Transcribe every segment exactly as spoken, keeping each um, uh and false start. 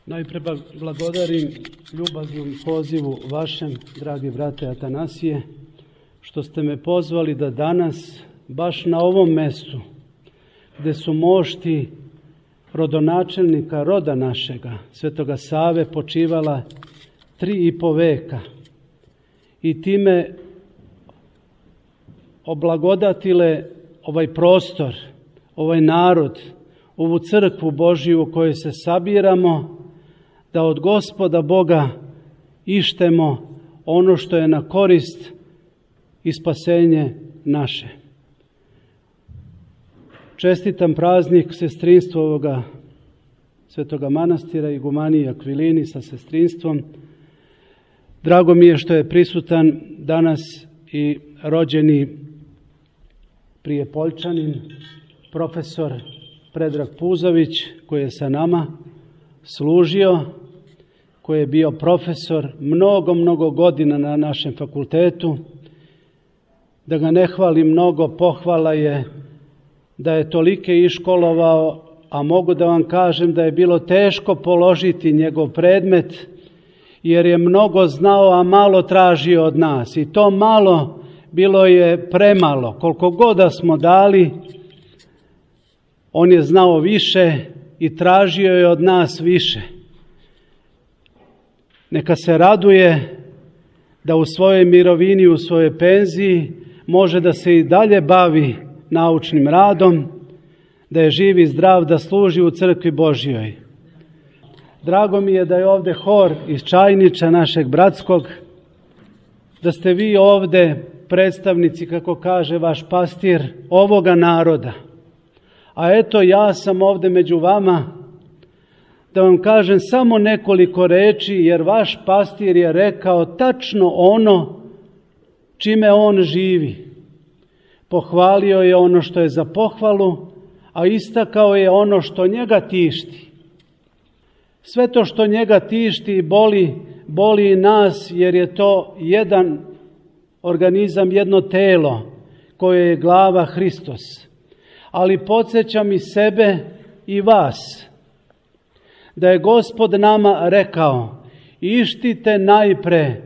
Najpre blagodarim ljubaznom pozivu vašem, dragi brate Atanasije, što ste me pozvali da danas, baš na ovom mestu, gde su mošti rodonačelnika roda našega, Svetoga Save, počivala tri i po veka i time oblagodatile ovaj prostor, ovaj narod, ovu crkvu Božiju u kojoj se sabiramo, da od Gospoda Boga ištemo ono što je na korist i spasenje naše. Čestitam praznik sestrinstva ovoga Svetoga manastira Igumaniji Akvilini sa sestrinstvom. Drago mi je što je prisutan danas i rođeni Prijepoljčanin, profesor Predrag Puzović, koji je sa nama služio, koji je bio profesor mnogo, mnogo godina na našem fakultetu. Da ga ne hvali mnogo, pohvala je da je tolike iškolovao, a mogu da vam kažem da je bilo teško položiti njegov predmet, jer je mnogo znao, a malo tražio od nas. I to malo bilo je premalo. Koliko god da smo dali, on je znao više i tražio je od nas više. Neka se raduje da u svojoj mirovini, u svojoj penziji može da se i dalje bavi naučnim radom, da je živ i zdrav, da služi u crkvi Božjoj. Drago mi je da je ovde hor iz Čajniča, našeg bratskog, da ste vi ovde predstavnici, kako kaže vaš pastir, ovoga naroda. A eto, ja sam ovde među vama da vam kažem samo nekoliko reči, jer vaš pastir je rekao tačno ono čime on živi. Pohvalio je ono što je za pohvalu, a istakao je ono što njega tišti. Sve to što njega tišti i boli, boli i nas, jer je to jedan organizam, jedno telo koje je glava Hristos. Ali podsjećam i sebe i vas, da je Gospod nama rekao: ištite najpre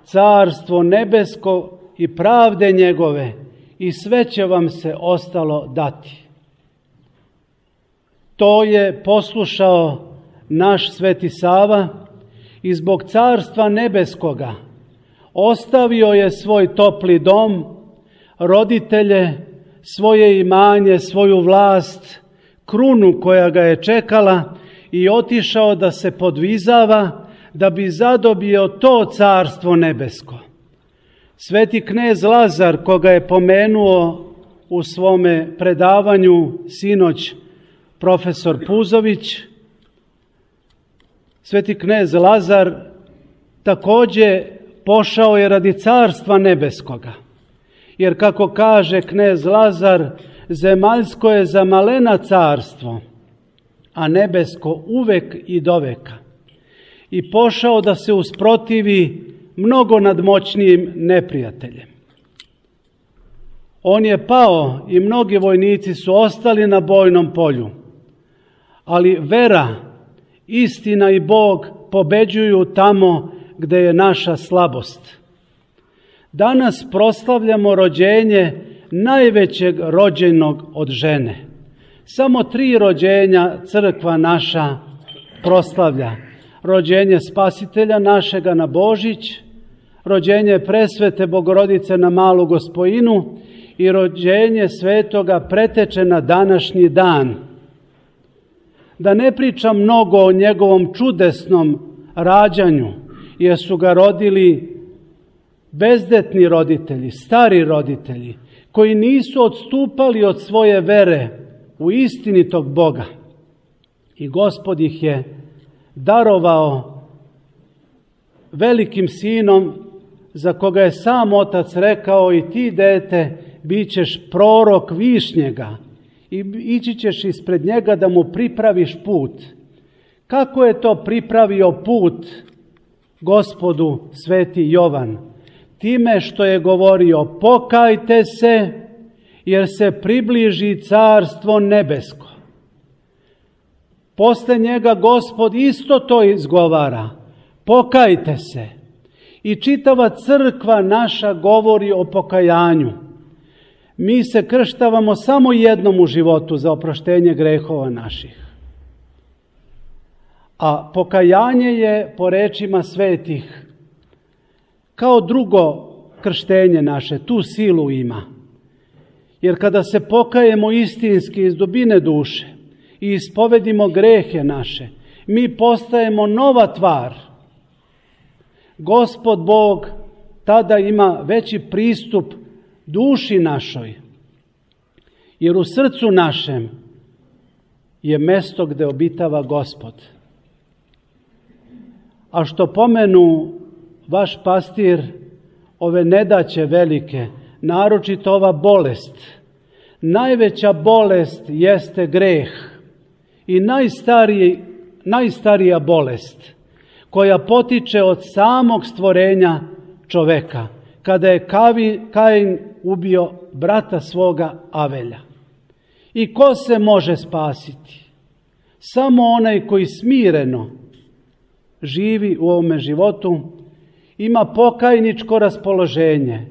carstvo nebesko i pravde njegove, i sve će vam se ostalo dati. To je poslušao naš Sveti Sava i zbog carstva nebeskoga ostavio je svoj topli dom, roditelje, svoje imanje, svoju vlast, krunu koja ga je čekala i otišao da se podvizava da bi zadobio to carstvo nebesko. Sveti knez Lazar, koga je pomenuo u svome predavanju sinoć profesor Puzović, sveti knez Lazar takođe pošao je radi carstva nebeskoga. Jer kako kaže knez Lazar, zemaljsko je za malena carstvo, a nebesko uvek i doveka. I pošao da se usprotivi mnogo nadmoćnijim neprijateljem. On je pao i mnogi vojnici su ostali na bojnom polju, ali vera, istina i Bog pobeđuju tamo gde je naša slabost. Danas proslavljamo rođenje najvećeg rođenog od žene. Samo tri rođenja crkva naša proslavlja. Rođenje Spasitelja našega na Božić, rođenje Presvete Bogorodice na Malu Gospojinu i rođenje Svetoga Preteče na današnji dan. Da ne pričam mnogo o njegovom čudesnom rađanju, jer su ga rodili bezdetni roditelji, stari roditelji, koji nisu odstupali od svoje vere u istinitog Boga. I Gospod ih je darovao velikim sinom, za koga je sam otac rekao: i ti, dete, bit ćeš prorok Višnjega i ići ćeš ispred njega da mu pripraviš put. Kako je to pripravio put Gospodu sveti Jovan? Time što je govorio: pokajte se, jer se približi carstvo nebesko. Posle njega Gospod isto to izgovara. Pokajte se. I čitava crkva naša govori o pokajanju. Mi se krštavamo samo jednom u životu za oproštenje grehova naših. A pokajanje je, po rečima svetih, kao drugo krštenje naše, tu silu ima. Jer kada se pokajemo istinski iz dubine duše i ispovedimo grehe naše, mi postajemo nova tvar. Gospod Bog tada ima veći pristup duši našoj, jer u srcu našem je mesto gde obitava Gospod. A što pomenu vaš pastir, ove nedaće velike, naročito ova bolest, najveća bolest jeste greh i najstariji, najstarija bolest koja potiče od samog stvorenja čoveka, kada je Kain ubio brata svoga Avelja. I ko se može spasiti? Samo onaj koji smireno živi u ovome životu, ima pokajničko raspoloženje,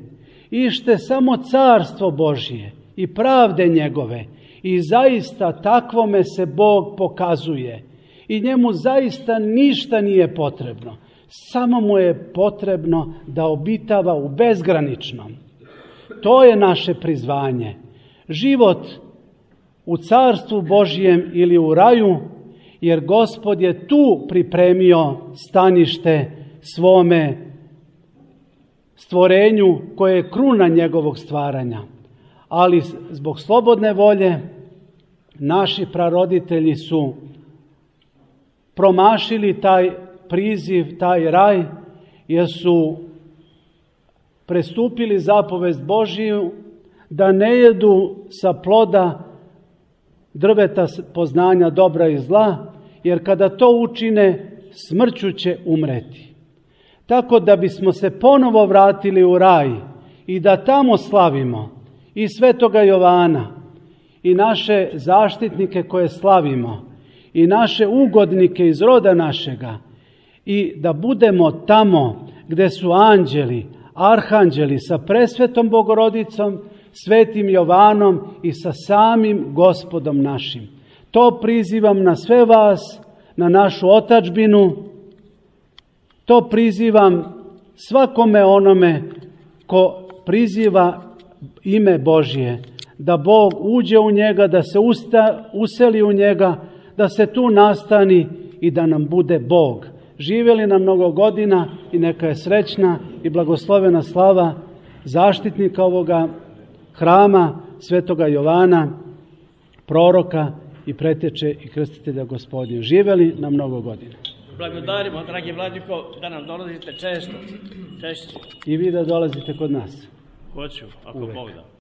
ište samo carstvo Božije i pravde njegove, i zaista takvome se Bog pokazuje i njemu zaista ništa nije potrebno. Samo mu je potrebno da obitava u bezgraničnom. To je naše prizvanje. Život u carstvu Božijem ili u raju, jer Gospod je tu pripremio stanište svome stvorenju koje je kruna njegovog stvaranja. Ali zbog slobodne volje naši praroditelji su promašili taj priziv, taj raj, jer su prestupili zapovest Božiju da ne jedu sa ploda drveta poznanja dobra i zla, jer kada to učine, smrću će umreti. Tako da bismo se ponovo vratili u raj i da tamo slavimo i svetoga Jovana i naše zaštitnike koje slavimo i naše ugodnike iz roda našega, i da budemo tamo gde su anđeli, arhanđeli sa presvetom Bogorodicom, svetim Jovanom i sa samim Gospodom našim. To prizivam na sve vas, na našu otadžbinu, to prizivam svakome onome ko priziva ime Božje, da Bog uđe u njega, da se usta, useli u njega, da se tu nastani i da nam bude Bog. Živjeli na mnogo godina i neka je srećna i blagoslovena slava zaštitnika ovoga hrama, svetoga Jovana, proroka i preteče i krstitelja Gospodnje. Živjeli na mnogo godina. Blagodarimo, dragi Vladiko, da nam dolazite često, češće. I vi da dolazite kod nas. Hoću, ako Bog da.